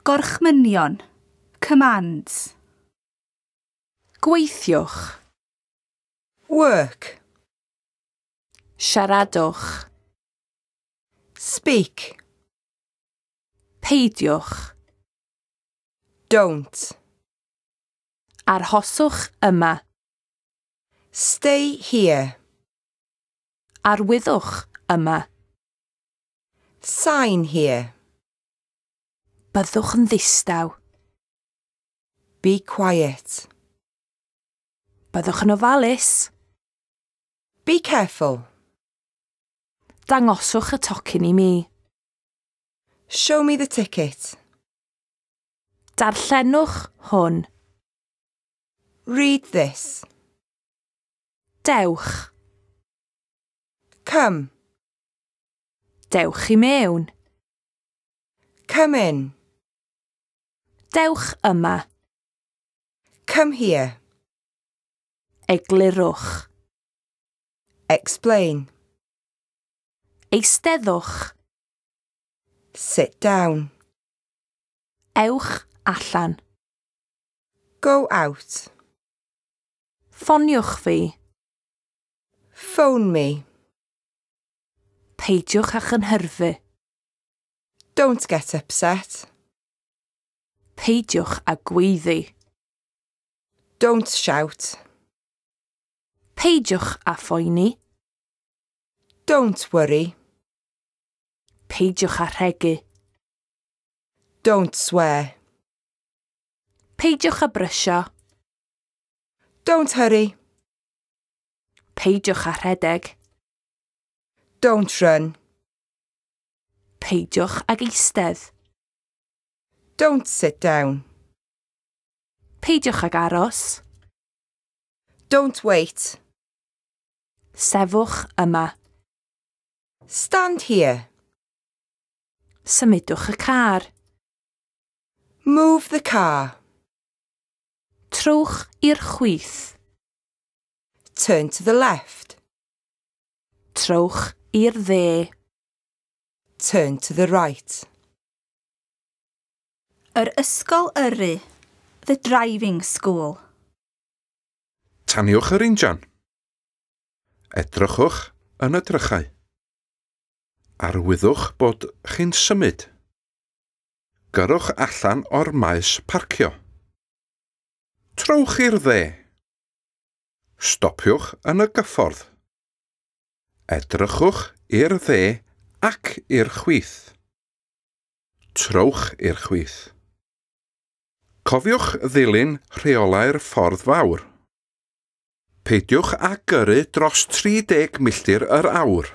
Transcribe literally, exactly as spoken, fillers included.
Gorchmynion. Commands. Gweithiwch. Work. Siaradwch. Speak. Peidiwch. Don't. Arhoswch yma. Stay here. Arwyddwch yma. Sign here. Byddwch yn ddistaw. Be quiet. Byddwch yn ofalus. Be careful. Dangoswch y tocyn i mi. Show me the ticket. Darllenwch hwn. Read this. Dewch. Come. Dewch i mewn. Come in. Dewch yma. Come here. Eglurwch. Explain. Eisteddwch. Sit down. Ewch allan. Go out. Ffoniwch fi. Phone me. Peidiwch â chynhyrfu. Don't get upset. Peidiwch â gweiddi. Don't shout. Peidiwch â phoeni. Don't worry. Peidiwch â rhegu. Don't swear. Peidiwch â brysio. Don't hurry. Peidiwch â rhedeg. Don't run. Peidiwch ag eistedd. Don't sit down. Peidiwch ag aros. Don't wait. Sefwch yma. Stand here. Symudwch y car. Move the car. Trowch i'r chwith. Turn to the left. Trowch i'r dde. Turn to the right. Yr ysgol yrru. The driving school. Taniwch yr injan. Edrychwch yn y drychau. Arwyddwch bod chi'n symud. Gyrrwch allan o'r maes parcio. Trowch i'r dde. Stopiwch yn y gyffordd. Edrychwch i'r dde ac i'r chwith. Trowch i'r chwith. Cofiwch ddilyn rheolau'r ffordd fawr. Peidiwch â gyrru dros tri deg milltir yr awr.